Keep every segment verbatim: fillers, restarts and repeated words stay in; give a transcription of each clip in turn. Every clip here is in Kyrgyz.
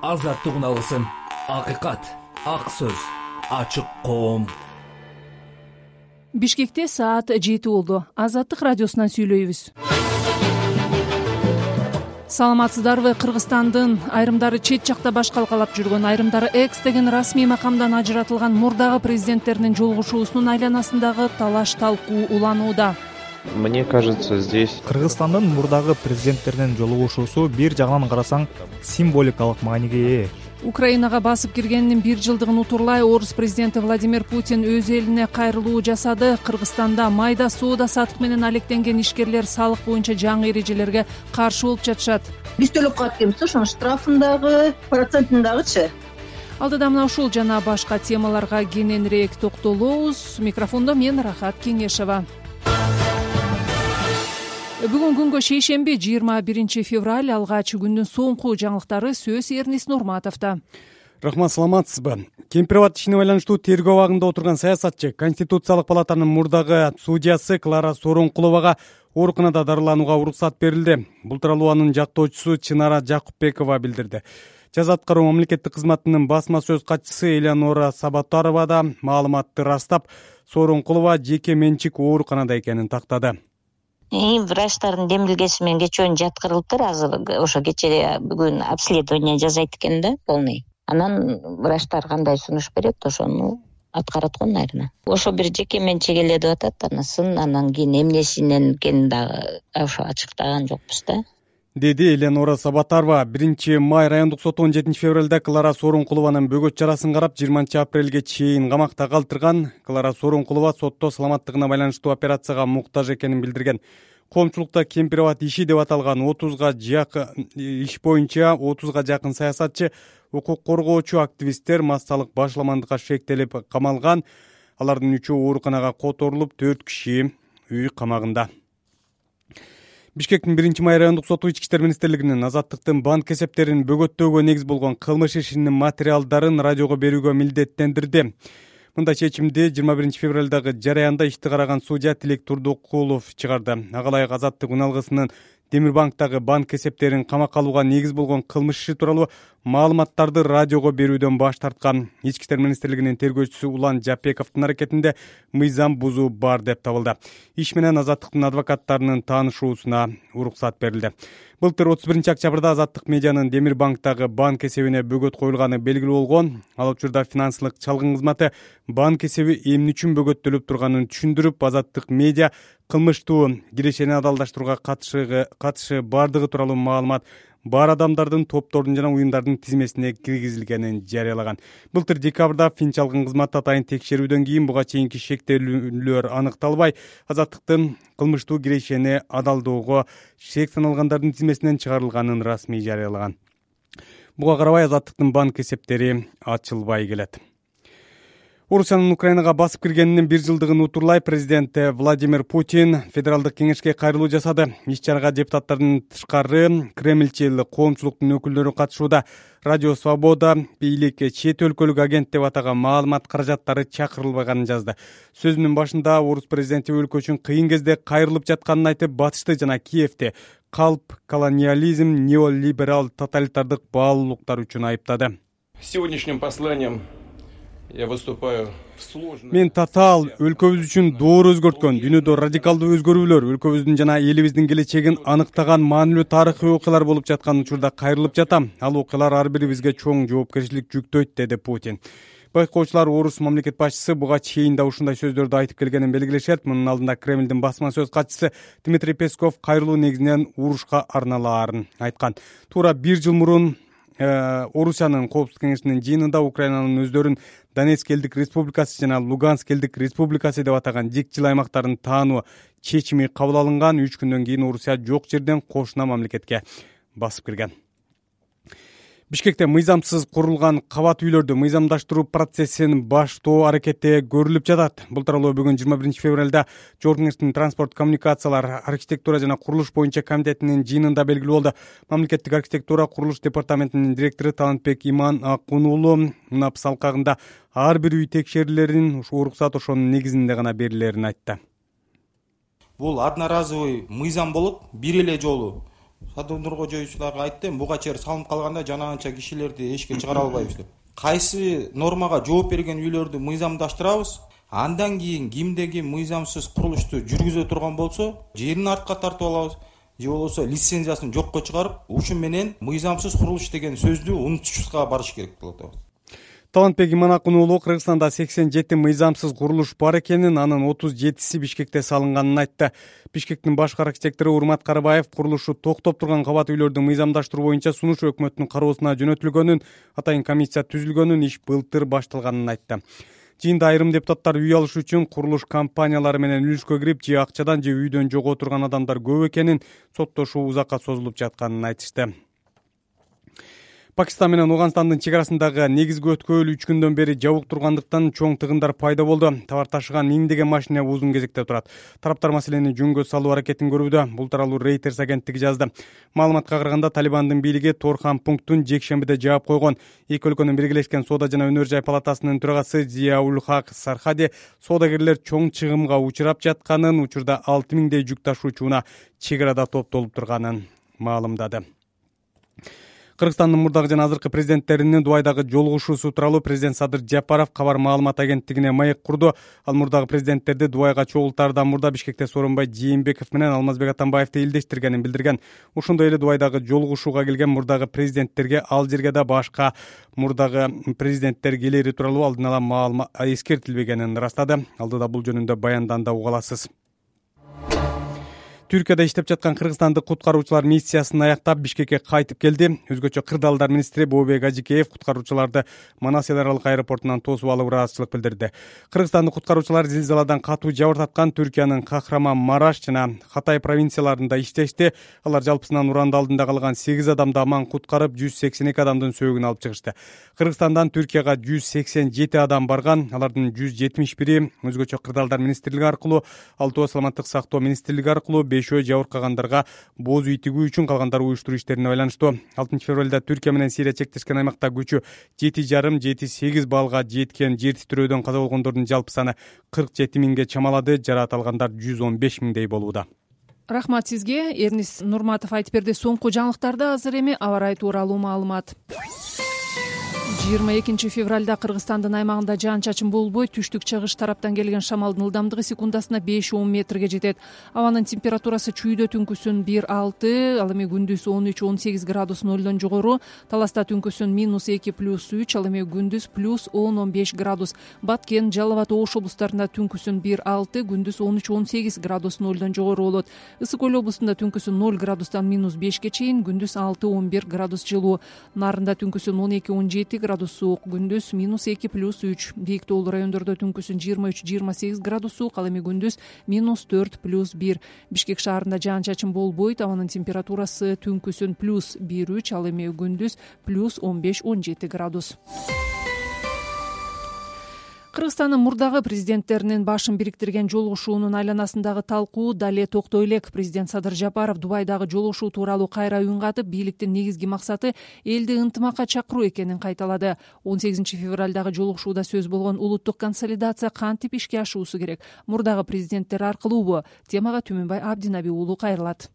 азаттык үналысын, акыйкат, ак сөз, ачык коом. Бишкекте саат жети болду. Азаттык радиосунан сүйлөйбүз. Саламатсыздарбы? Кыргызстандын айрымдары чет жакта баш калкалап жүргөн, айрымдары экс деген расмий макамдан ажыратылган мурдагы президенттердин жолугушуусунун айланасындагы талаш талкуу уланууда. Мне кажется, здесь Кыргызстандын мурдагы президенттеринин жолугушуусу бир жагынан карасаң символикалык мааниге ээ. Украинага басып киргенинин бир жылдыгын утурлай орус президенти Владимир Путин өз элине кайрылуу жасады. Кыргызстанда майда соода саттык менен алектенген ишкерлер салык боюнча жаңы эрежелерге каршы болуп жатышат. Биз төлөп калат экенбиз, ошонун штрафын дагы, процентин дагычы. Алдыда мына ушул жана башка темаларга кененирээк токтолобуз. Микрофондо мен Рахат Кеңешова. Бүгүн күнгө шейшемби жыйырма биринчи февраль, алгач күндүн соңку жаңылыктары сөз Эрнис Нурматовдо. Рахмат, саламатсызбы? Кемпир-абад ишине байланыштуу тергөө абагында отурган саясатчы Конституциялык палатанын мурдагы судьясы Клара Сооронкуловага ооруканада дарыланууга уруксат берилди. Бул тууралуу анын жактоочусу Чынара Жакупбекова билдирди. Жаза аткаруу мамлекеттик кызматынын басма сөз катчысы Элеонора Сабатарова да маалыматты растап, Сооронкулова жеке менчик ооруканада экенин тактады. Врачтардын демилгеси менен кечөөнү жаткырылыптыр. Азыр ошо кечээ бүгүн обследование жасайт экен да, полный. Анан врачтар кандай сунуш берет, ошону аткарат го, наверное. Ошо бир жеке менчик эле деп атат, анысын анан кийин эмнесинен экенин дагы ошо ачыктаган жокпуз да. Деди Элеонора Сабатарова. Биринчи май райондук соту он жетинчи февралда Клара Сооронкулованын бөгөт чарасын карап, жыйырманчы апрелге чейин камакта калтырган. Клара Сооронкулова сотто саламаттыгына байланыштуу операцияга муктаж экенин билдирген. Коомчулукта Кемпир-абад иши деп аталган отузга жакын иш боюнча отузга жакын саясатчы, укук коргоочу, активисттер массалык башламандыкка шектелип камалган. Алардын үчөө ооруканага которулуп, төрт киши үй камагында. Бишкектин биринчи май райондук соту Ички иштер министрлигинин азаттыктын банк эсептерин бөгөттөөгө негиз болгон кылмыш ишинин материалдарын радиого берүүгө милдеттендирди. Мындай чечимди жыйырма биринчи февралдагы жараянда ишти караган судья Тилек Турдукулов чыгарды. Ага ылайык азаттык үналгысынын Демирбанктагы банк эсептерин камакка алууга негиз болгон кылмыш иши тууралуу маалыматтарды радиого берүүдөн баш тарткан. Ички иштер министрлигинин тергөөчүсү Улан Жапековдун аракетинде мыйзам бузуу бар деп табылды. Иш менен азаттыктын адвокаттарынын таанышуусуна уруксат берилди. Былтыр отуз биринчи октябрда Азаттык медианын Демирбанктагы банк эсебине бөгөт коюлганы белгилүү болгон. Ал учурда финансылык чалгын кызматы банк эсеби эмне үчүн бөгөттөлүп турганын түшүндүрүп, Азаттык медиа кылмыштуу кирешени адалдаштырууга катышы катышы бардыгы тууралуу маалымат бар адамдардын, топтордун жана уюмдардын тизмесине киргизилгенин жарыялаган. Былтыр декабрда фин чалгын кызматы атайын текшерүүдөн кийин буга чейинки шектелүүлөр аныкталбай, Азаттыктын кылмыштуу кирешени адалдоого шек саналгандардын тизмесинен чыгарылганын расмий жарыялаган. Буга карабай Азаттыктын банк эсептери ачылбай келет. Орусиянын Украинага басып киргенинин бир жылдыгын утурлай президент Владимир Путин федералдык кеңешке кайрылуу жасады. Иш-чарага депутаттардын тышкары Кремльчил коомчулуктун өкүлдөрү катышууда. Радио Свобода бийлик чет өлкөлүк агент деп атаган маалымат каражаттары чакырылбаганын жазды. Сөзүнүн башында орус президенти өлкө үчүн кыйын кезде кайрылып жатканын айтып, Батышты жана Киевти калп, колониализм, неолиберал тоталитардык баалуулуктар үчүн айыптады. Сегодняшним посланием я выступаю в сложном. Мен татаал өлкөбүз үчүн доор өзгөрткөн, дүйнөдө радикалдуу өзгөрүүлөр, өлкөбүздүн жана элибиздин келечегин аныктаган маанилүү тарыхый окуялар болуп жаткан учурда кайрылып жатам. Ал окуялар ар бирибизге чоң жоопкерчилик жүктөйт, деди Путин. Байкоочулар орус мамлекет башчысы буга чейин да ушундай сөздөрдү айтып келгенин белгилешет. Мунун алдында Кремлдин басма сөз катчысы Дмитрий Песков кайрылуу негизинен урушка арналаарын айткан. Туура бир жыл мурун Орусиянын Коопсуздук кеңешинин жыйынында Украинанын өздөрүн Донецк элдик республикасы жана Луганск элдик республикасы деп атаган жикчил аймактарын таануу чечими кабыл алынган. Үч күндөн кийин Орусия жок жерден кошуна мамлекетке басып кирген. Бишкекте мыйзамсыз курулган кабат үйлөрдү мыйзамдаштыруу процессин баштоо аракети көрүлүп жатат. Бул тууралуу бүгүн жыйырма биринчи февралда Жогорку кеңештин транспорт, коммуникациялар, архитектура жана курулуш боюнча комитетинин жыйынында белгилүү болду. Мамлекеттик архитектура курулуш департаментинин директору Талантбек Иман Акун уулу УНАПС алкагында ар бир үй текшерилерин ушу уруксат ошонун негизинде гана берилерин айтты. Бул одноразовый мыйзам болуп, бир эле жолу садоводурго жоюучуларга айттым, буга чейин салынып калганда жанагынча кишилерди эшикке чыгара албайбыз деп. Кайсы нормага жооп берген үйлөрдү мыйзамдаштырабыз, андан кийин кимде ким мыйзамсыз курулушту жүргүзө турган болсо, жерин артка тартып алабыз, же болбосо лицензиясын жокко чыгарып, ушун менен мыйзамсыз курулуш деген сөздү унутушубузга барыш керек болот. Талантбек Иманакун уулу Кыргызстанда сексен жети мыйзамсыз курулуш бар экенин, анын отуз жетиси Бишкекте салынганын айтты. Бишкектин башкы архитектору Урмат Карыбаев курулушу токтоп турган кабат үйлөрдү мыйзамдаштыруу боюнча сунуш өкмөттүн кароосуна жөнөтүлгөнүн, атайын комиссия түзүлгөнүн, иш былтыр башталганын айтты. Жыйында айрым депутаттар үй алыш үчүн курулуш компаниялары менен үлүшкө кирип, же акчадан же үйдөн жок отурган адамдар көп экенин, соттошуу узакка созулуп жатканын айтышты. Пакистан менен Ооганстандын чек арасындагы негизги өткөл үч күндөн бери жабык тургандыктан чоң тыгындар пайда болду. Товар ташыган миңдеген машина узун кезекте турат. Тараптар маселени жөнгө салуу аракетин көрүүдө. Бул тууралуу Reuters агенттиги жазды. Маалыматка караганда Талибандын бийлиги Торхан пунктун жекшембиде жаап койгон. Эки өлкөнүн биргелешкен соода жана өнөр жай палатасынын төрагасы Зияул Хак Сархади соодагерлер чоң чыгымга учурап жатканын, учурда алты миңдей жүк ташуучуна чек арада топтолуп турганын маалымдады. Кыргызстандын мурдагы жана азыркы президенттеринин Дубайдагы жолугушуусу тууралуу президент Садыр Жапаров кабар маалымат агенттигине маек курду. Ал мурдагы президенттерди Дубайга чогултаардан мурда Бишкекте Сооронбай Жээнбеков менен Алмазбек Атамбаевди илдештиргенин билдирген. Ошондой эле Дубайдагы жолугушууга келген мурдагы президенттерге ал жерге да башка мурдагы президенттер келери тууралуу алдын ала маалымат эскертилбегенин ырастады. Алдыда бул жөнүндө баянданда уга аласыз. Түркияда иштеп жаткан кыргызстандык куткаруучулар миссиясын аяктап Бишкекке кайтып келди. Өзгөчө Кырдаалдар министри Бообек Ажикеев куткаруучуларды Манас эл аралык аэропортунан тосуп алып ыраазычылык билдирди. Кыргызстандык куткаруучулар зилзаладан катуу жабыр тапкан Түркиянын Кахраман Мараш жана Хатай провинцияларында иштешти. Алар жалпысынан уранды алдында калган сегиз адамды аман куткарып, жүз сексен эки адамдын сөөгүн алып чыгышты. Кыргызстандан Түркияга жүз сексен жети адам барган. Алардын жүз жетимиш бири өзгөчө Кырдаалдар министрлиги аркылуу, алтоо саламаттык сактоо министрлиги аркылуу, бешөө жабыркагандарга боз үй тигүү үчүн, калгандары уюштуруу иштерине байланыштуу. алтынчы февралда Түркия менен Сирия чектешкен аймакта күчү жети жарым жети сегиз балга жеткен жер титирөөдөн каза болгондордун жалпы саны кырк жети миңге чамалады. Жараат алгандар жүз он беш миңдей болууда. Рахмат сизге. Эрнис Нурматов айтып берди. Соңку жаңылыктарды азыр эми аба ырайы тууралуу маалымат. жыйырма экинчи февралда Кыргызстандын аймагында жаан-чачын болбой, түштүк-чыгыш тараптан келген шамалдын ылдамдыгы секундасына беш он метрге жетет. Абанын температурасы чүйдө түнкүсүн бир алты, ал эми күндүз он үч он сегиз градус нолдон жогору, Таласта түнкүсүн минус эки плюс үч, ал эми күндүз плюс он он беш градус. Баткен, Жалал абад, Ош облустарында түнкүсүн бир алты, күндүз он үч он сегиз градус нолдон жогору болот. Ысык Көл облусунда түнкүсүн ноль градустан минус бешке чейин, күндүз алты он бир градус жылуу. Нарында түнкүсүн он эки он жети градус суук, күндүз минус эки плюс үч. Бийик тоолуу райондордо түнкүсүн жыйырма үч жыйырма сегиз градус суук, ал эми күндүз минус төрт плюс бир. Бишкек шаарында жаан-чачын болбойт, абанын температурасы түнкүсүн плюс бир үч, ал эми күндүз плюс он беш он жети градус. Кыргызстандын мурдагы президенттеринин башын бириктирген жолугушуунун айланасындагы талкуу дале токтой элек. Президент Садыр Жапаров Дубайдагы жолугушуу тууралуу кайра үн катып, бийликтин негизги максаты элди ынтымакка чакыруу экенин кайталады. он сегизинчи февралдагы жолугушууда сөз болгон улуттук консолидация кантип ишке ашуусу керек? Мурдагы президенттер аркылуубу? Темага Түмөнбай Абдинаби уулу кайрылат.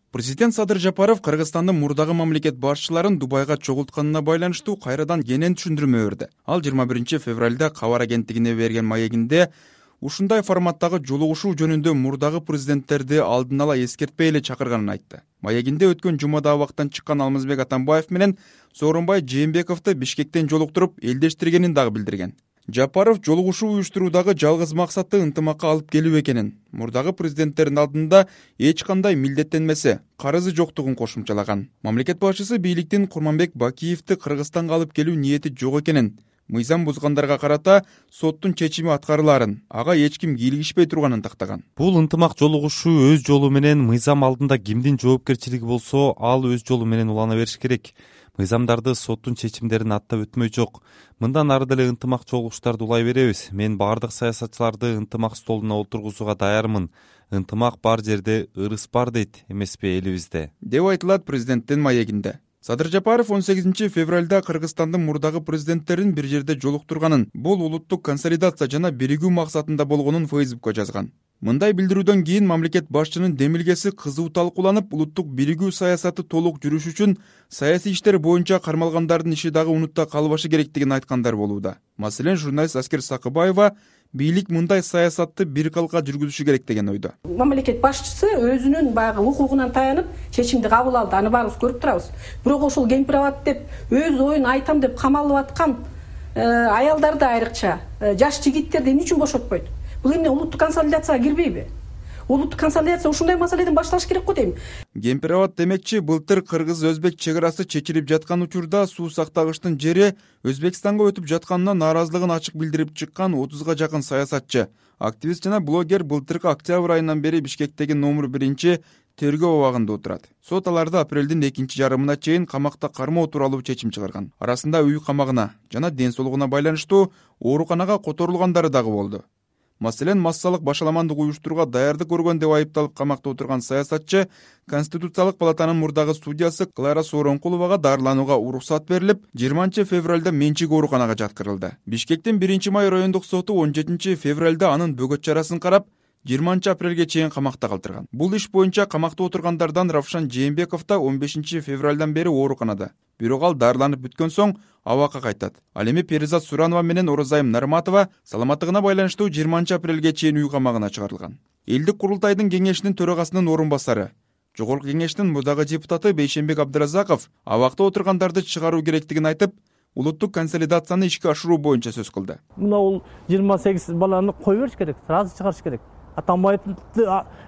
Президент Садыр Жапаров Кыргызстандын мурдагы мамлекет башчыларын Дубайга чогултканына байланыштуу кайрадан кенен түшүндүрмө берди. Ал жыйырма биринчи февралда кабар агенттигине берген маегинде ушундай форматтагы жолугушуу жөнүндө мурдагы президенттерди алдын ала эскертпей эле чакырганын айтты. Маегинде өткөн жумада абактан чыккан Алмазбек Атамбаев менен Сооронбай Жээнбековду Бишкектен жолуктуруп элдештиргенин дагы билдирген. Жапаров жолугушуу уюштуруудагы жалгыз максаты ынтымакка алып келүү экенин, мурдагы президенттердин алдында эч кандай милдеттенмесе, карызы жоктугун кошумчалаган. Мамлекет башчысы бийликтин Курманбек Бакиевди Кыргызстанга алып келүү ниети жок экенин, мыйзам бузгандарга карата соттун чечими аткарылаарын, ага эч ким кийлигишпей турганын тактаган. Бул ынтымак жолугушуу өз жолу менен мыйзам алдында кимдин жоопкерчилиги болсо, ал өз жолу менен улана бериш керек. Мыйзамдарды соттун чечимдерин аттап өтмөй жок. Мындан ары деле ынтымак жолугуштарды улай беребиз. Мен бардык саясатчыларды ынтымак столуна олтургузууга даярмын. Ынтымак бар жерде ырыс бар дейт эмеспи элибизде, деп айтылат президенттин маегинде. Садыр Жапаров он сегизинчи февралда Кыргызстандын мурдагы президенттерин бир жерде жолуктурганын, бул улуттук консолидация жана биригүү максатында болгонун Фейсбукка жазган. Мындай билдирүүдөн кийин мамлекет башчынын демилгеси кызуу талкууланып, улуттук биригүү саясаты толук жүрүш үчүн саясий иштер боюнча кармалгандардын иши дагы унутта калбашы керектигин айткандар болууда. Маселен, журналист Аскер Сакыбаева бийлик мындай саясатты бир калка жүргүзүшү керек деген ойдо. Мамлекет башчысы өзүнүн баягы укугунан таянып чечимди кабыл алды. Аны баарыбыз көрүп турабыз. Бирок ошол кемпирабад деп өз оюн айтам деп камалып аткан аялдарды, айрыкча жаш жигиттерди эмне үчүн бошотпойт? Бул эмне улуттук консолидацияга кирбейби? Улуттук консолидация ушундай маселеден башталыш керек го дейм. Кемпирабад демекчи, былтыр кыргыз-өзбек чек арасы чечилип жаткан учурда суу сактагычтын жери Өзбекстанга өтүп жатканына нааразылыгын ачык билдирип чыккан отузга жакын саясатчы, активист жана блогер былтыркы октябрь айынан бери Бишкектеги номер биринчи тергөө абагында отурат. Сот аларды апрелдин экинчи жарымына чейин камакта кармоо тууралуу чечим чыгарган. Арасында үй камагына жана ден соолугуна байланыштуу ооруканага которулгандары дагы болду. Маселен, массалык башаламандык уюштурууга даярдык көргөн деп айыпталып камакта отурган саясатчы Конституциялык палатанын мурдагы судьясы Клара Сооронкуловага дарыланууга уруксат берилип, жыйырманчы февралда менчик ооруканага жаткырылды. Бишкектин биринчи май райондук соту он жетинчи февралда анын бөгөт чарасын карап, жыйырманчы апрелге чейин камакта калтырган. Бул иш боюнча камакта отургандардан Равшан Жээнбеков да он бешинчи февралдан бери ооруканада. Бирок ал дарыланып бүткөн соң абакка кайтат. Ал эми Перизат Суранова менен Оразайым Нарматова саламаттыгына байланыштуу жыйырманчы апрелге чейин үй камагына чыгарылган. Элдик курултайдын кеңешинин төрагасынын орун басары, Жогорку кеңештин мурдагы депутаты Бейшенбек Абдыразаков абакта отургандарды чыгаруу керектигин айтып, улуттук консолидацияны ишке ашыруу боюнча сөз кылды. Мына бул жыйырма сегиз баланы кое бериш керек, сразу чыгарыш керек. Атамбаевди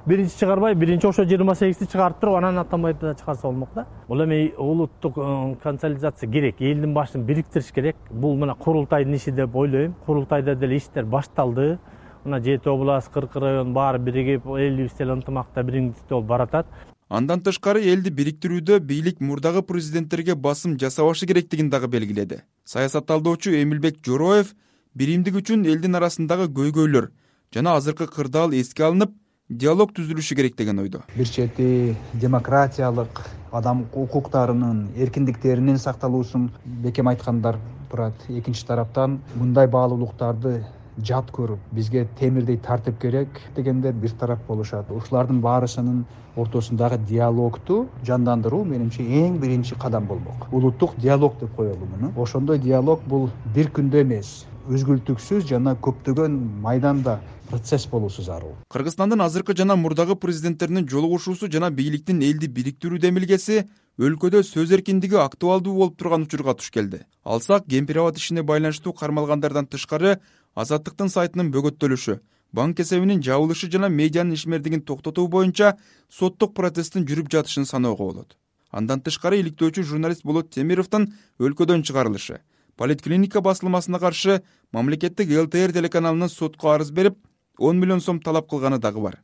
биринчи чыгарбай, биринчи ошо жыйырма сегизди чыгарып туруп, анан Атамбаевди да чыгарса болмок да. Бул эми улуттук консолидация керек, элдин башын бириктириш керек. Бул мына курултайдын иши деп ойлойм. Курултайда деле иштер башталды. Мына жети область, кырк район баары биригип, элибиз деле ынтымакта бириңдикте болуп баратат. Андан тышкары элди бириктирүүдө бийлик мурдагы президенттерге басым жасабашы керектигин дагы белгиледи. Саясатталдоочу Эмилбек Жороев биримдик үчүн элдин арасындагы көйгөйлөр жана азыркы кырдаал эске алынып, диалог түзүлүшү керек деген ойдо. Бир чети демократиялык, адам укуктарынын, эркиндиктеринин сакталуусун бекем айткандар турат. Экинчи тараптан мындай баалуулуктарды жат көрүп, бизге темирдей тартип керек дегендер бир тарап болушат. Ушулардын баарысынын ортосундагы диалогду жандандыруу менимче эң биринчи кадам болмок. Улуттук диалог деп коелу муну. Ошондой диалог бул бир күндө эмес, үзгүлтүксүз жана көптөгөн майданда процесс болуусу зарыл. Кыргызстандын азыркы жана мурдагы президенттеринин жолугушуусу жана бийликтин элди бириктирүү демилгеси өлкөдө сөз эркиндиги актуалдуу болуп турган учурга туш келди. Алсак, Кемпирабад ишине байланыштуу кармалгандардан тышкары Азаттыктын сайтынын бөгөттөлүшү, банк эсебинин жабылышы жана медианын ишмердигин токтотуу боюнча соттук процесстин жүрүп жатышын саноого болот. Андан тышкары иликтөөчү журналист Болот Темировдун өлкөдөн чыгарылышы, Политклиника басылмасына каршы мамлекеттик эл тэ эр телеканалынын сотко арыз берип, он миллион сом талап кылганы дагы бар.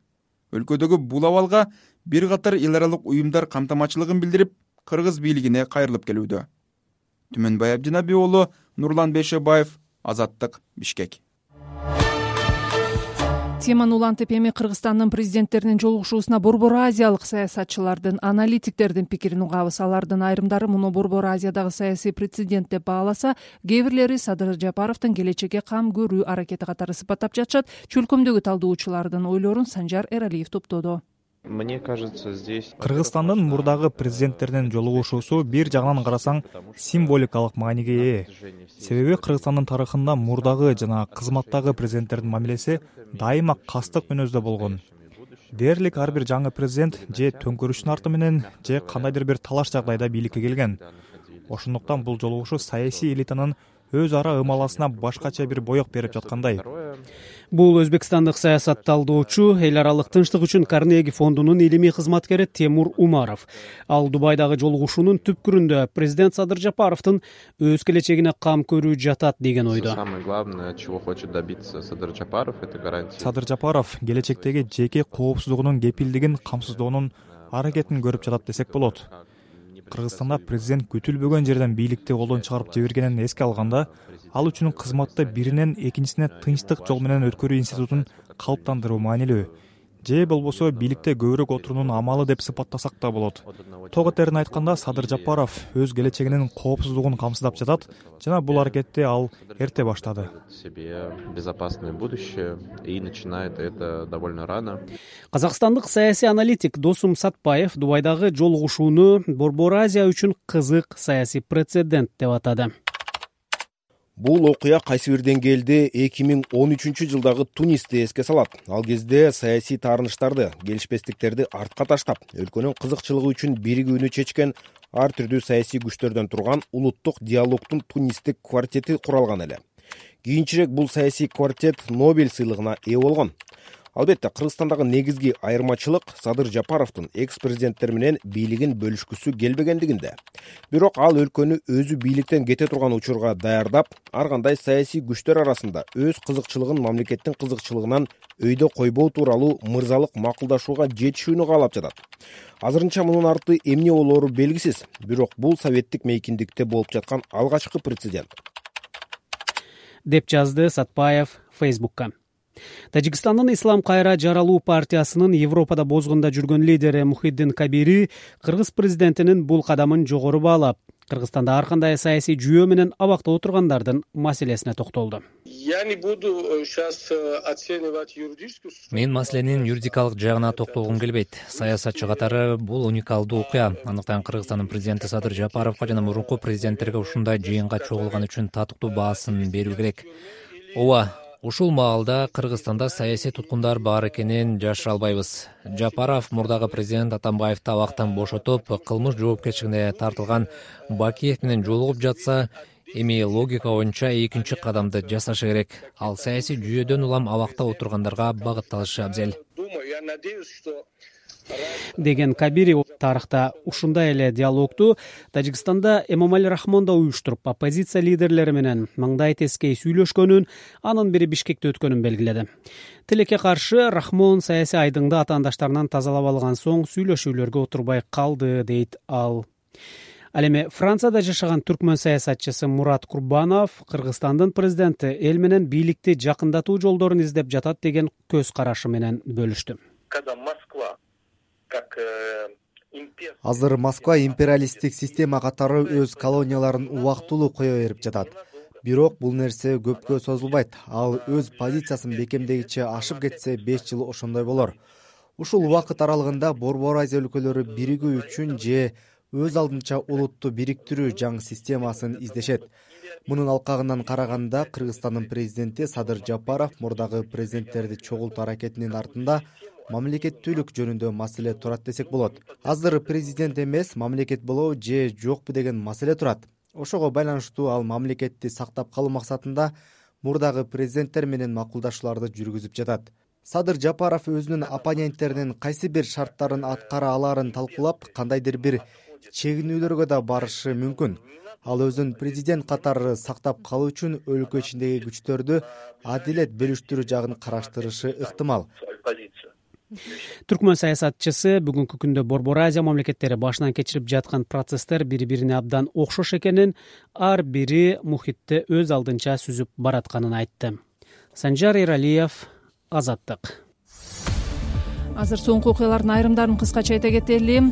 Өлкөдөгү бул абалга бир катар эл аралык уюмдар камтамачылыгын билдирип, кыргыз бийлигине кайрылып келүүдө. Түмөнбай Абдинаби уулу, Нурлан Бейшебаев, Азаттык, Бишкек. Теманы улантып, эми Кыргызстандын президенттеринин жолугушуусуна Борбор Азиялык саясатчылардын, аналитиктердин пикирин угабыз. Алардын айрымдары муну Борбор Азиядагы саясий прецедент деп бааласа, кээ бирлери Садыр Жапаровдун келечекке кам көрүү аракети катары сыпаттап жатышат. Чөлкөмдөгү талдоочулардын ойлорун Санжар Эралиев топтоду. Мне кажется, здесь... Кыргызстандын мурдагы президенттеринин жолугушуусу бир жагынан карасаң символикалык мааниге ээ. Себеби Кыргызстандын тарыхында мурдагы жана кызматтагы президенттердин мамилеси дайыма кастык мүнөздө болгон. Дээрлик ар бир жаңы президент же төңкөрүштүн арты менен же кандайдыр бир талаш жагдайда бийликке келген. Ошондуктан бул жолугушуу саясий элитанын өз ара ымаласына башкача бир боек берип жаткандай. Бул өзбекстандык саясатталдоочу, эл аралык тынчтык үчүн Карнеги фондунун илимий кызматкери Темур Умаров. Ал Дубайдагы жолугушуунун түпкүрүндө президент Садыр Жапаровдун өз келечегине кам көрүү жатат деген ойдо. Самое главное, чего хочет добиться Садыр Жапаров, это гарантия. Садыр Жапаров келечектеги жеке коопсуздугунун кепилдигин камсыздоонун аракетин көрүп жатат десек болот. Кыргызстанда президент күтүлбөгөн жерден бийликти колдон чыгарып жибергенин эске алганда, ал үчүн кызматты биринен экинчисине тынчтык жол менен өткөрүү институтун калыптандыруу маанилүү. же болбосо бийликте көбүрөөк отуруунун амалы деп сыпаттасак да болот. Тоготерин айтканда, Садыр Жапаров өз келечегинин коопсуздугун камсыздап жатат жана бул аракетти ал эрте баштады. Себе безопасное будущее и начинает это довольно рано. Казакстандык саясий аналитик Досум Сатпаев Дубайдагы жолугушууну Борбор Азия үчүн кызык саясий прецедент деп атады. Бул окуя кайсы бир деңгээлде эки миң он үчүнчү жылдагы Тунисти эске салат. Ал кезде саясий таарыныштарды, келишпестиктерди артка таштап, өлкөнүн кызыкчылыгы үчүн биригүүнү чечкен ар түрдүү саясий күчтөрдөн турган улуттук диалогдун тунистик квартети куралган эле. Кийинчерээк бул саясий квартет Нобель сыйлыгына ээ болгон. Албетте, Кыргызстандагы негизги айырмачылык Садыр Жапаровдун экс-президенттер менен бийлигин бөлүшкүсү келбегендигинде. Бирок ал өлкөнү өзү бийликтен кете турган учурга даярдап, ар кандай саясий күчтөр арасында өз кызыкчылыгын мамлекеттин кызыкчылыгынан өйдө койбоо тууралуу мырзалык макулдашууга жетишүүнү каалап жатат. Азырынча мунун арты эмне болоору белгисиз, бирок бул советтик мейкиндикте болуп жаткан алгачкы прецедент. Деп жазды Сатпаев Фейсбукка. Тажикстандын Ислам кайра жаралуу партиясынын Европада бозгунда жүргөн лидери Мухиддин Кабири кыргыз президентинин бул кадамын жогору баалап, Кыргызстанда ар кандай саясий жүйөө менен абакта отургандардын маселесине токтолду. Мен маселенин юридикалык жагына токтолгум келбейт. Саясатчы катары бул уникалдуу окуя. Андыктан Кыргызстандын президенти Садыр Жапаровго жана мурунку президенттерге ушундай жыйынга чогулган үчүн татыктуу баасын берүү керек. Ооба, ушул маалда Кыргызстанда саясий туткундар бар экенин жашыра албайбыз. Жапаров мурдагы президент Атамбаевди абактан бошотуп, кылмыш жоопкерчилигине тартылган Бакиев менен жолугуп жатса, эми логика боюнча экинчи кадамды жасашы керек. Ал саясий жүйөдөн улам абакта отургандарга багытталышы абзел. Деген Кабири тарыхта ушундай эле диалогду Тажикстанда Эмомали Рахмон да уюштуруп, оппозиция лидерлери менен маңдай тескей сүйлөшкөнүн, анын бири Бишкекте өткөнүн белгиледи. Тилекке каршы Рахмон саясий айдыңды атаандаштарынан тазалап алган соң сүйлөшүүлөргө отурбай калды, дейт ал. Ал эми Францияда жашаган түркмөн саясатчысы Мурат Курбанов Кыргызстандын президенти эл менен бийликти жакындатуу жолдорун издеп жатат деген көз карашы менен бөлүштү. Азыр Москва империалисттик система катары өз колонияларын убактылуу кое берип жатат. Бирок бул нерсе көпкө созулбайт. Ал өз позициясын бекемдегиче ашып кетсе беш жыл ошондой болор. Ушул убакыт аралыгында Борбор Азия өлкөлөрү биригүү үчүн же өз алдынча улутту бириктирүү жаңы системасын издешет. Мунун алкагынан караганда Кыргызстандын президенти Садыр Жапаров мурдагы президенттерди чогултуу аракетинин артында мамлекеттүүлүк жөнүндө маселе турат десек болот. Азыр президент эмес, мамлекет болобу же жокпу деген маселе турат. Ошого байланыштуу ал мамлекетти сактап калуу максатында мурдагы президенттер менен макулдашууларды жүргүзүп жатат. Садыр Жапаров өзүнүн оппоненттеринин кайсы бир шарттарын аткара алаарын талкуулап, кандайдыр бир чегинүүлөргө да барышы мүмкүн. Ал өзүн президент катары сактап калуу үчүн өлкө ичиндеги күчтөрдү адилет бөлүштүрүү жагын караштырышы ыктымал. Түркмөн саясатчысы бүгүнкү күндө Борбор Азия мамлекеттери башынан кечирип жаткан процесстер бири-бирине абдан окшош экенин, ар бири мухитти өз алдынча сүзүп баратканын айтты. Санжар Эралиев, Азаттык. Азыр соңку окуялардын айрымдарын кыскача айта кетели.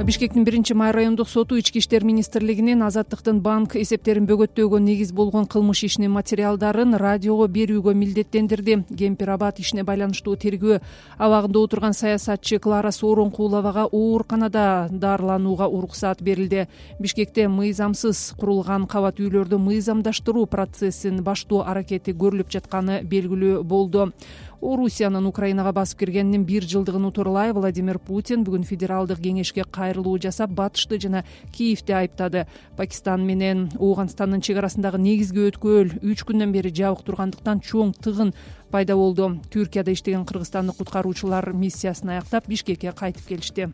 Бишкектин биринчи май райондук соту Ички иштер министрлигинин Азаттыктын банк эсептерин бөгөттөөгө негиз болгон кылмыш ишинин материалдарын радиого берүүгө милдеттендирди. Кемпир-Абад ишине байланыштуу тергөө абагында отурган саясатчы Клара Сооронкуловага ооруканада дарыланууга уруксаат берилди. Бишкекте мыйзамсыз курулган кабат үйлөрдү мыйзамдаштыруу процессин баштоо аракети көрүлүп жатканы белгилүү болду. Орусиянын Украинага басып киргенинин бир жылдыгын утурлай Владимир Путин бүгүн федералдык кеңешке кайрылуу жасап, Батышты жана Киевди айыптады. Пакистан менен Ооганстандын чек арасындагы негизги өткөл үч күндөн бери жабык тургандыктан чоң тыгын пайда болду. Түркияда иштеген кыргызстандык куткаруучулар миссиясын аяктап Бишкекке кайтып келишти.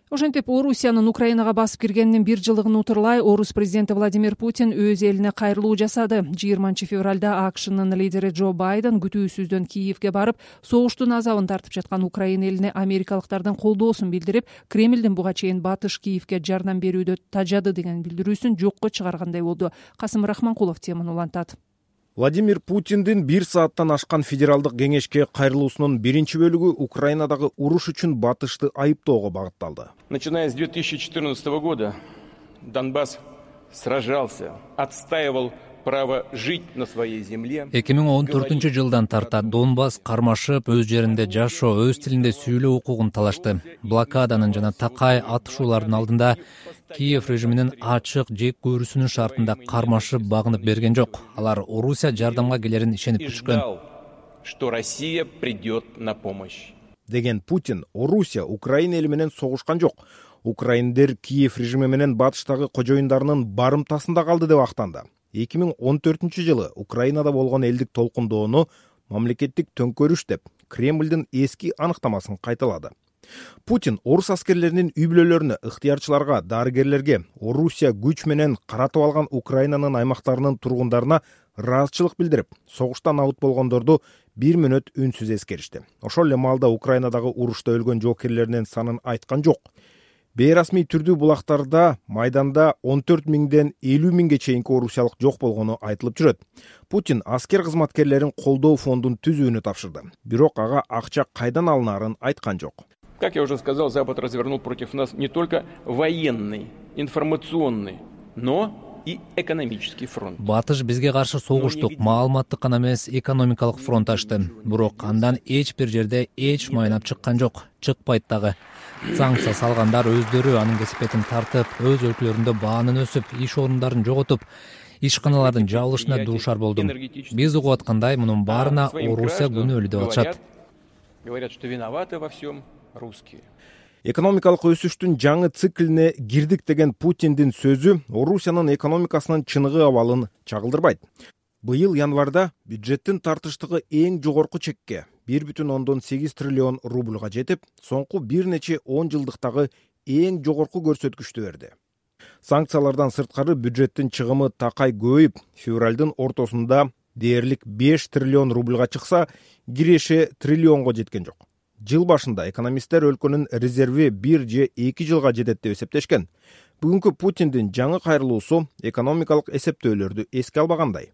Ошентип, Орусиянын Украинага басып киргенинин бир жылдыгын утурлай Орус президенти Владимир Путин өз элине кайрылуу жасады. жыйырманчы февралда АКШнын лидери Джо Байден күтүүсүздөн Киевге барып, согуштун азабын тартып жаткан Украина элине америкалыктардын колдоосун билдирип, Кремлдин буга чейин Батыш Киевге жардам берүүдө тажады деген билдирүүсүн жокко чыгаргандай болду. Касым Рахманкулов теманы улантат. Владимир Путиндин бир сааттан ашкан федералдык кеңешке кайрылуусунун биринчи бөлүгү Украинадагы уруш үчүн батышты айыптоого багытталды. Начиная с две тысячи четырнадцатого года Донбасс сражался, отстаивал право жить на своей земле. эки миң он төртүнчү жылдан тарта Донбасс кармашып, өз жеринде жашоо, өз тилинде сүйлөө укугун талашты. Блокаданын жана такай атышуулардын алдында Киев режиминин ачык жек көрүүсүнүн шартында кармашып багынып берген жок. Алар Орусия жардамга келерин ишенип күткөн. Что Россия придет на помощь. Деген Путин Орусия Украина эли менен согушкан жок. Украиндер Киев режими менен батыштагы кожоюндарынын барымтасында калды деп актанды. эки миң он төртүнчү жылы Украинада болгон элдик толкундоону мамлекеттик төңкөрүш деп Кремлдин эски аныктамасын кайталады. Путин орус аскерлеринин үй бүлөлөрүнө, ыктыярчыларга, дарыгерлерге, Орусия күч менен каратып алган Украинанын аймактарынын тургундарына ыраазычылык билдирип, согуштан абут болгондорду бир мүнөт үнсүз эскеришти. Ошол эле маалда Украинадагы урушта өлгөн жоокерлеринин санын айткан жок. Бейрасмий түрдүү булактарда майданда он төрт миңден элүү миңге чейинки орусиялык жок болгону айтылып жүрөт. Путин аскер кызматкерлерин колдоо фондун түзүүнү тапшырды. Бирок ага акча кайдан алынаарын айткан жок. Как я уже сказал, Запад развернул против нас не только военный, информационный, но и экономический фронт. Батыш бизге каршы согуштук, маалыматтык гана эмес, экономикалык фронт ачты. Бирок андан эч бир жерде эч майнап чыккан жок, чыкпайт дагы. Санкция салгандар өздөрү анын кесепетин тартып, өз өлкөлөрүндө баанын өсүп, иш орундарын жоготуп, ишканалардын жабылышына дуушар болду. Биз угуп аткандай, мунун баарына Орусия күнөөлүү деп атышат. Говорят, что виноваты во всем русские. Экономикалык өсүштүн жаңы циклине кирдик деген Путиндин сөзү Орусиянын экономикасынын чыныгы абалын чагылдырбайт. Быйыл январда бюджеттин тартыштыгы эң жогорку чекке бир бүтүн ондон сегиз триллион рубльга жетип, соңку бир нече он жылдыктагы эң жогорку көрсөткүчтү берди. Санкциялардан сырткары бюджеттин чыгымы такай көбөйүп, февралдын ортосунда дээрлик беш триллион рубльга чыкса, киреше триллионго жеткен жок. Жыл башында экономисттер өлкөнүн резерви бир же эки жылга жетет деп эсептешкен. Бүгүнкү Путиндин жаңы кайрылуусу экономикалык эсептөөлөрдү эске албагандай.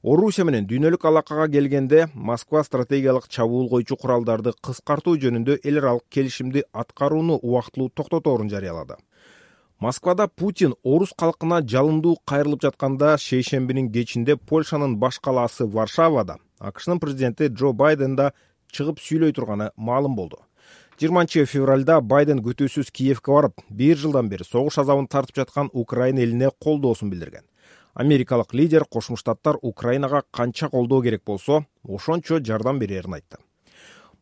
Орусия менен дүйнөлүк алакага келгенде Москва стратегиялык чабуул койчу куралдарды кыскартуу жөнүндө эл аралык келишимди аткарууну убактылуу токтоторун жарыялады. Москвада Путин орус калкына жалындуу кайрылып жатканда шейшембинин кечинде Польшанын баш калаасы Варшавада АКШнын президенти Джо Байден да чыгып сүйлөй турганы маалым болду. жыйырманчы февралда Байден күтүүсүз Киевке барып, бир жылдан бери согуш азабын тартып жаткан Украина элине колдоосун билдирген. Америкалык лидер Кошмо Штаттар Украинага канча колдоо керек болсо, ошончо жардам берерин айтты.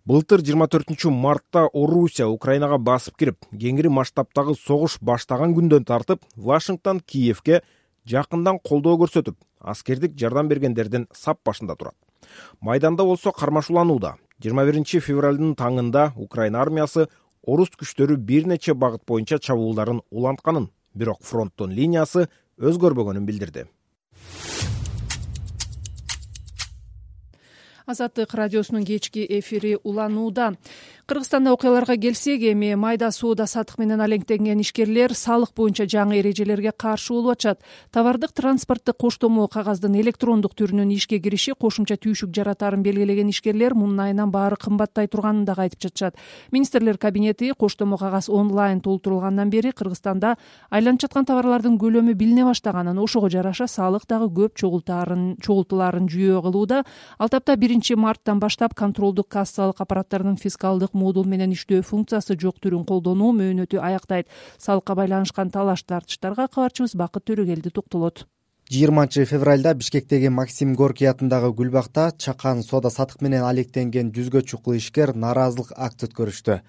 Былтыр жыйырма төртүнчү мартта Орусия Украинага басып кирип, кеңири масштабтагы согуш баштаган күндөн тартып, Вашингтон Киевке жакындан колдоо көрсөтүп, аскердик жардам бергендердин сап башында турат. Майданда болсо кармашууланууда. жыйырма биринчи февралдын таңында Украина армиясы орус күчтөрү бир нече багыт боюнча чабуулдарын улантканын, бирок фронттун линиясы өзгөрбөгөнүн билдирди. Азаттык радиосунун кечки эфири уланууда. Кыргызстанда окуяларга келсек, эми майда соода сатык менен алектенген ишкерлер салык боюнча жаңы эрежелерге каршы болуп атышат. Товардык транспорттук коштомо кагаздын электрондук түрүнүн ишке кириши кошумча түйшүк жаратаарын белгилеген ишкерлер мунун айынан баары кымбаттай турганын дагы айтып жатышат. Министрлер кабинети коштомо кагаз онлайн толтурулгандан бери Кыргызстанда айланып жаткан товарлардын көлөмү билине баштаганын, ошого жараша салык дагы көп чогултаарын чогултулаарын жүйө кылууда. Ал тапта биринчи марттан баштап контролдук кассалык аппараттарынын фискалдык модул менен иштөө функциясы жок түрүн колдонуу мөөнөтү аяктайт. Салыкка байланышкан талаш тартыштарга кабарчыбыз Бакыт Төрөгелди токтолот. жыйырманчы февралда Бишкектеги Максим Горький атындагы Гүлбакта чакан соода сатык менен алектенген жүзгө чукул ишкер нааразылык акция өткөрүштү.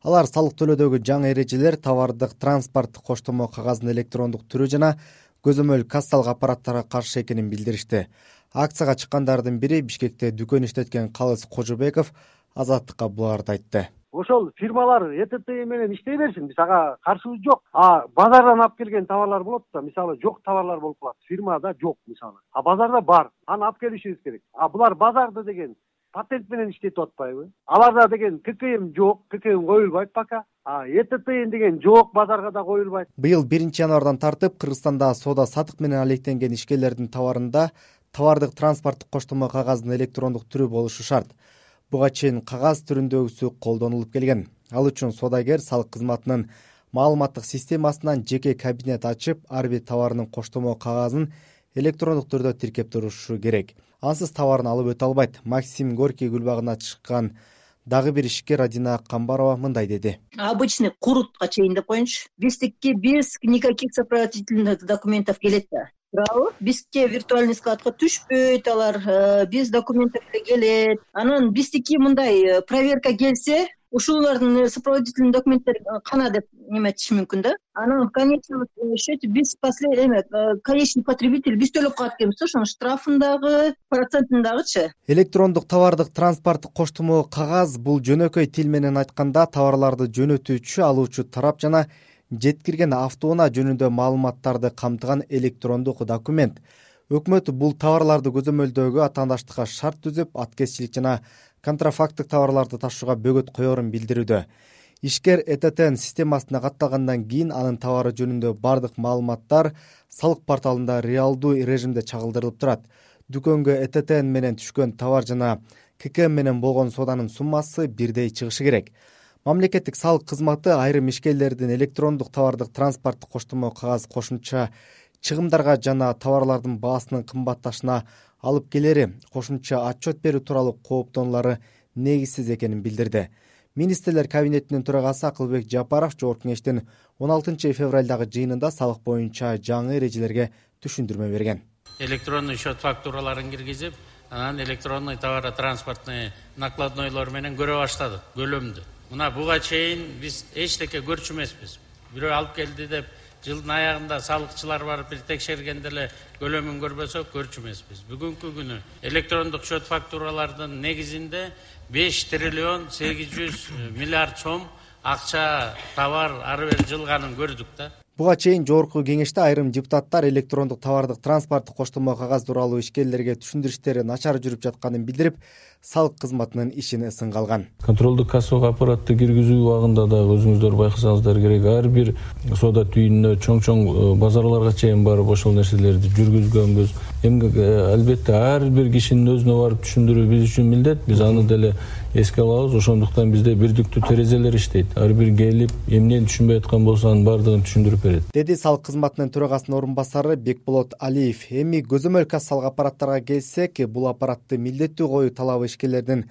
Алар салык төлөөдөгү жаңы эрежелер, товардык транспорттук коштомо кагаздын электрондук түрү жана көзөмөл кассалык аппараттарга каршы экенин билдиришти. Акцияга чыккандардын бири Бишкекте дүкөн иштеткен Калыс Кожобеков Азаттыкка буларды айтты. Ошол фирмалар Э Т Т менен иштей берсин, биз ага каршыбыз жок. А базардан алып келген товарлар болот да, мисалы жок товарлар болуп калат. Фирмада жок мисалы. А базарда бар. Аны алып келишибиз керек. А булар базарда деген патент менен иштетип атпайбы? Аларда деген К К М жок, К К М коюлбайт пока. А Э Т Т деген жок, базарга да коюлбайт. Быйыл биринчи январдан тартып Кыргызстанда соода сатык менен алектенген ишкерлердин товарында товардык транспорттук коштомо кагаздын электрондук түрү болушу шарт. Буга чейин кагаз түрүндөгүсү колдонулуп келген. Ал үчүн соодагер салык кызматынын маалыматтык системасынан жеке кабинет ачып, ар бир товарынын коштомо кагазын электрондук түрдө тиркеп турушу керек. Ансыз товарын алып өтө албайт. Максим Горький гүлбагына чыккан дагы бир ишкер Адина Камбарова мындай деди. Обычный курутка чейин деп коеюнчу. Биздики без никаких сопроводительных документов келет да. Туурабы? Бизге виртуальный складка түшпөйт алар, без документов эле келет. Анан биздики мындай проверка келсе, ушулардын сопроводительный документтери кана деп неметиш мүмкүн да. Анан в конечном счете биз последний эме конечный потребитель биз төлөп калат экенбиз, ошонун штрафындагы, процентиндагычы. Электрондук товардык транспорттук коштомо кагаз бул жөнөкөй тил менен айтканда товарларды жөнөтүүчү, алуучу тарап жана жеткирген автоунаа жөнүндө маалыматтарды камтыган электрондук документ. Өкмөт бул товарларды көзөмөлдөөгө атаандаштыкка шарт түзүп, аткезчилик жана контрафакттык товарларды ташууга бөгөт коерун билдирүүдө. Ишкер Э Т Т системасына катталгандан кийин анын товары жөнүндө бардык маалыматтар салык порталында реалдуу режимде чагылдырылып турат. Дүкөнгө Э Т Т менен түшкөн товар жана К К М менен болгон сооданын суммасы бирдей чыгышы керек. Мамлекеттик салык кызматы айрым ишкерлердин электрондук товардык транспорттук коштомо кагаз кошумча чыгымдарга жана товарлардын баасынын кымбатташына алып келери кошумча отчет берүү тууралуу кооптонулары негизсиз экенин билдирди. Министрлер кабинетинин төрагасы Акылбек Жапаров Жогорку кеңештин он алтынчы февралдагы жыйынында салык боюнча жаңы эрежелерге түшүндүрмө берген. Электронный счет фактураларын киргизип, анан электронный товаротранспортный накладнойлор менен көрө баштадык көлөмдү. Мына буга чейин биз эчтеке көрчү эмеспиз. Бирөө алып келди деп жылдын аягында салыкчылар барып бир текшергенде эле көлөмүн көрбөсөк көрчү эмеспиз. Бүгүнкү күнү электрондук счет фактуралардын негизинде беш триллион сегиз жүз миллиард сом акча товар ары бери жылганын көрдүк да. Буга чейин Жогорку кеңеште айрым депутаттар электрондук товардык транспорттук коштомо кагаз тууралуу ишкерлерге түшүндүрүштөрү начар жүрүп жатканын билдирип, салык кызматынын ишин ысынга алган. Контролдук кассалык аппаратты киргизүү убагында дагы өзүңүздөр байкасаңыздар керек, ар бир соода түйүнүнө чоң-чоң базарларга чейин барып ошол нерселерди жүргүзгөнбүз. Эми албетте ар бир кишинин өзүнө барып түшүндүрүү биз үчүн милдет. Биз аны деле эске алабыз. Ошондуктан бизде бирдиктүү терезелер иштейт. Ар бир келип, эмнени түшүнбөй аткан болсо анын баардыгын түшүндүрүп берет. Деди салык кызматынын төрагасынын орун басары Бекболот Алиев. Эми көзөмөл кассалык аппараттарга келсек, бул аппаратты милдеттүү коюу талабы ишкерлердин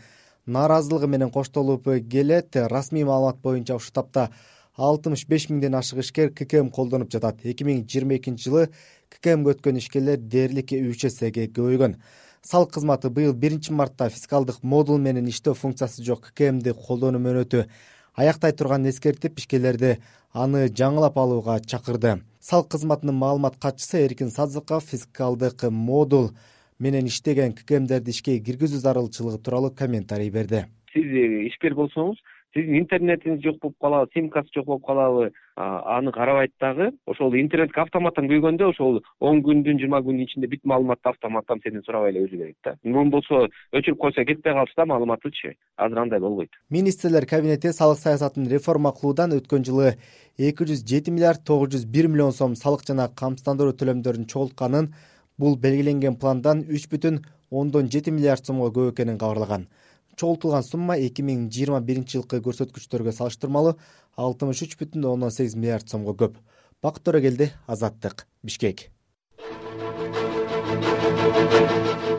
нааразылыгы менен коштолуп келет. Расмий маалымат боюнча ушул тапта алтымыш беш миңден ашык ишкер К К М колдонуп жатат. эки миң жыйырма экинчи жылы К К Мге өткөн ишкерлер дээрлик үч эсеге көбөйгөн. Салык кызматы быйыл биринчи мартта фискалдык модул менен иштөө функциясы жок К К Мди колдонуу мөөнөтү аяктай турганын эскертип, ишкерлерди аны жаңылап алууга чакырды. Салык кызматынын маалымат катчысы Эркин Садзыков фискалдык модул менен иштеген К К Мдерди ишке киргизүү зарылчылыгы тууралуу комментарий берди. Сиз ишкер болсоңуз, сиздин интернетиңиз жок болуп калабы, симкасы жок болуп калабы, аны карабайт дагы. Ошол интернетке автоматтан күйгөндө ошол он күндүн, жыйырма күндүн ичинде бүт маалыматты автоматтан сенден сурабай эле өзү берет да. Мун болсо өчүрүп койсо кетпей калса да маалыматычы. Азыр андай болбойт. Министрлер кабинети салык саясатын реформа кылуудан өткөн жылы эки жүз жети миллиард тогуз жүз бир миллион сом салык жана камсыздандыруу төлөмдөрүн чогултканын, бул белгиленген пландан үч бүтүн ондон жети миллиард сомго көп экенин кабарлаган. Чогултулган сумма эки миң жыйырма биринчи жылкы көрсөткүчтөргө салыштырмалуу алтымыш үч бүтүн ондон сегиз миллиард сомго көп. Бакыт Төрөгелди, Азаттык, Бишкек.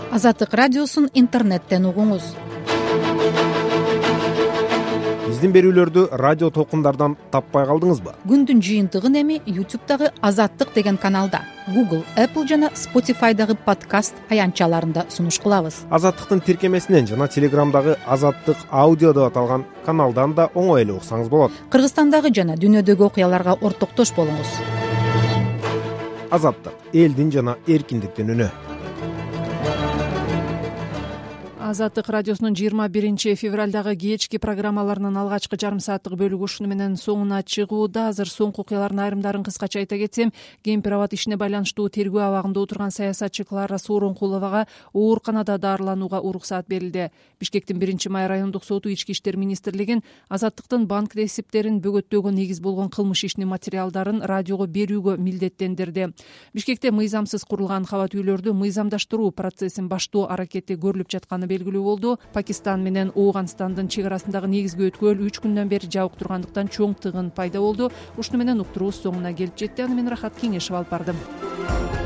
Азаттык радиосун интернеттен угуңуз. Биздин берүүлөрдү радио толкундардан таппай калдыңызбы? Күндүн жыйынтыгын эми YouTube'дагы Азаттык деген каналда, Google, Apple жана Spotify'дагы подкаст аянтчаларында сунуш кылабыз. Азаттыктын тиркемесинен жана Телеграмдагы Азаттык аудио деп аталган каналдан да оңой эле уксаңыз болот. Кыргызстандагы жана дүйнөдөгү окуяларга ортоктош болуңуз. Азаттык, элдин жана эркиндиктин үнү. Азаттык радиосунун жыйырма биринчи февралдагы кечки программаларынын алгачкы жарым сааттык бөлүгү ушуну менен соңуна чыгууда. Азыр соңку окуялардын айрымдарын кыскача айта кетсем, кемпир абад ишине байланыштуу тергөө абагында отурган саясатчы Клара Сооронкуловага ооруканада дарыланууга уруксаат берилди. Бишкектин биринчи май райондук соту ички иштер министрлигин Азаттыктын банк ресиптерин бөгөттөөгө негиз болгон кылмыш ишинин материалдарын радиого берүүгө милдеттендирди. Бишкекте мыйзамсыз курулган кабат үйлөрдү мыйзамдаштыруу процессин баштоо аракети көрүлүп жатканы белгилүү болду. Пакистан менен Ооганстандын чек арасындагы негизги өткөл үч күндөн бери жабык тургандыктан чоң тыгын пайда болду. Ушуну менен уктуруубуз соңуна келип жетти. Аны мен Рахат Кеңешев алып бардым.